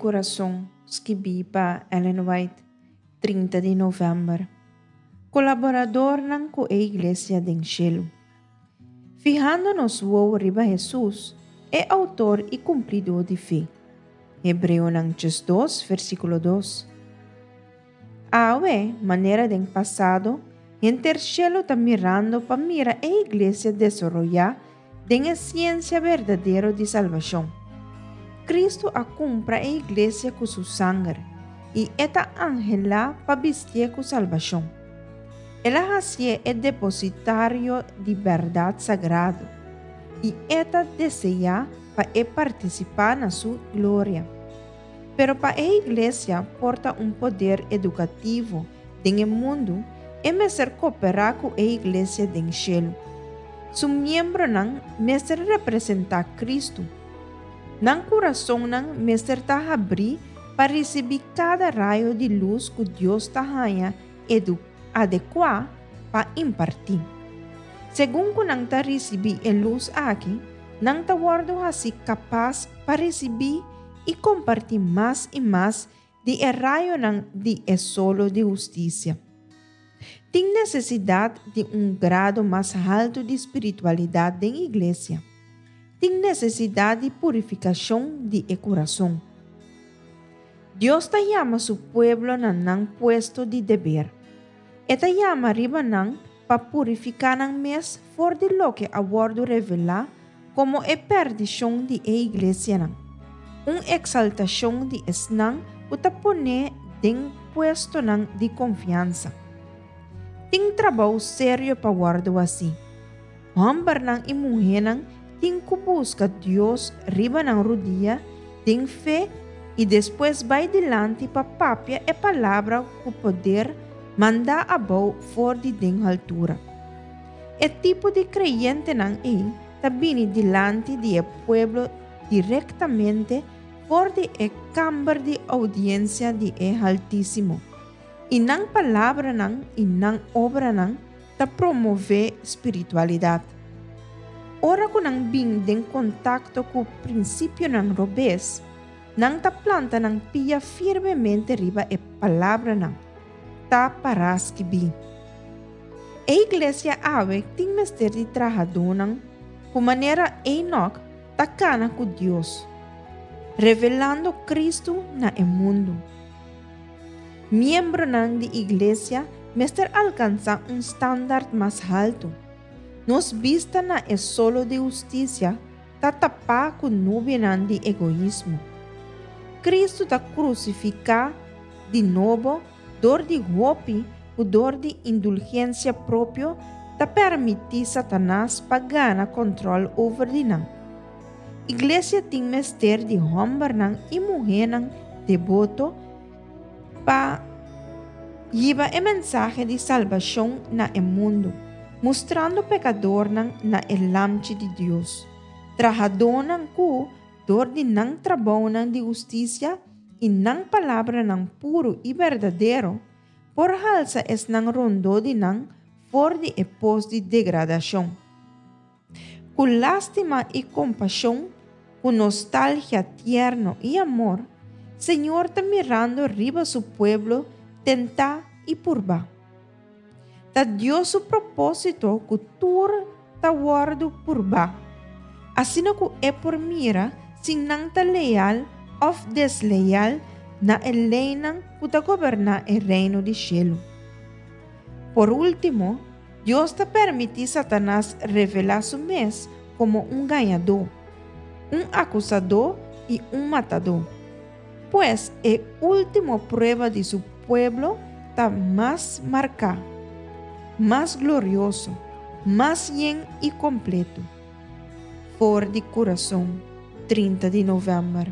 Kurason, skibí pa Ellen White, 30 di novèmber. Kolaboradornan ku e Iglesia den shelu. Fihando nos wowo riba Hesus, e outor i kumplidó di fe. Hebreonan 12, versíkulo 2. Awe, manera den pasado, henter shelu ta mirando pa mira e Iglesia desaroyá den e siensia berdadero di salbashon. Kristu a kumpra e Iglesia ku Su sanger, i E ta anhelá pa bistié ku salbashon. El a hasié e depositario di bèrdat sagrado, i E ta deseá pa e partisipá na Su gloria. Pero pa e Iglesia por ta un poder edukativo den e mundu, e mester koperá ku e Iglesia den shelu. Su miembronan mester representá Kristu. Nan kurasonnan mester ta habrí pa risibí kada rayo di lus ku Dios ta haña adekuá pa impartí. Segun ku nan ta risibí e lus aki, nan ta wòrdu hasí kapas pa risibí i kompartí mas i mas di e rayonan di e solo di hustisia. Tin nesesidat di un grado mas haltu di spiritualidat den iglesia. Tin nesesidat di purifikashon di e kurason. Dios ta yama su pueblo na nan puesto di deber. E ta yama riba nan pa purifiká nan mes for di loke a wòrdu revelá komo e pèrdishon di e iglesianan, un eksaltashon di esnan ku ta pon'é den puestonan di konfiansa. Tin trabou serio pa wòrdu hasí. Hòmbernan i muhénan tin ku buska Dios riba nan rudia den fe i despues bai dilanti pa papia e palabra ku poder mandá abou for di den haltura. E tipo di kreyentenan ei ta bini dilanti di e pueblo direktamente for di e kamber di oudiensia di e Haltísimo, i nan palabranan i nan obranan ta promové spiritualidat. Ora ku nan bin den kontakto ku prinsipionan robes, nan ta planta nan pia firmemente riba e palabranan, Ta pará skibí. E iglesia awe tin mester di trahadónan ku manera Enoch ta kana ku Dios, revelando Kristu na e mundu. Miembronan di iglesia mester alkansá un standard mas haltu. Nos bista na e solo di hustisia ta tapá ku nubianan di egoismo. Kristu ta krusifiká di nobo dor di hopi ku dor di indulgensia propio ta permití Satanas pa gana kòntròl over di nan. Iglesia tin mester di hòmbernan i muhénan deboto pa hiba e mensahe di salbashon na e mundu, mustrando pekadornan na e Lamchi di Dios, trahadónan ku, dor di nan trabounan di hustisia i nan palabranan puru i berdadero, por halsa esnan rondó di nan for di e pos di degradashon. Ku lástima i kompashon, ku nostalgia tierno i amor, Señor ta mirando riba su pueblo tentá i purbá. Ta Dios su propósito ku tur ta wòrdu purbá, asina ku e por mira si nan ta leal òf desleal na e leinan ku ta goberná e Reino di shelu. Por último, Dios ta permití Satanas revelá su mes komo un gañadó, un akusadó i un matadó. Pues, e último prueba di su pueblo ta mas marká, mas glorioso, mas yen i kompleto. For di kurason, 30 di novèmber.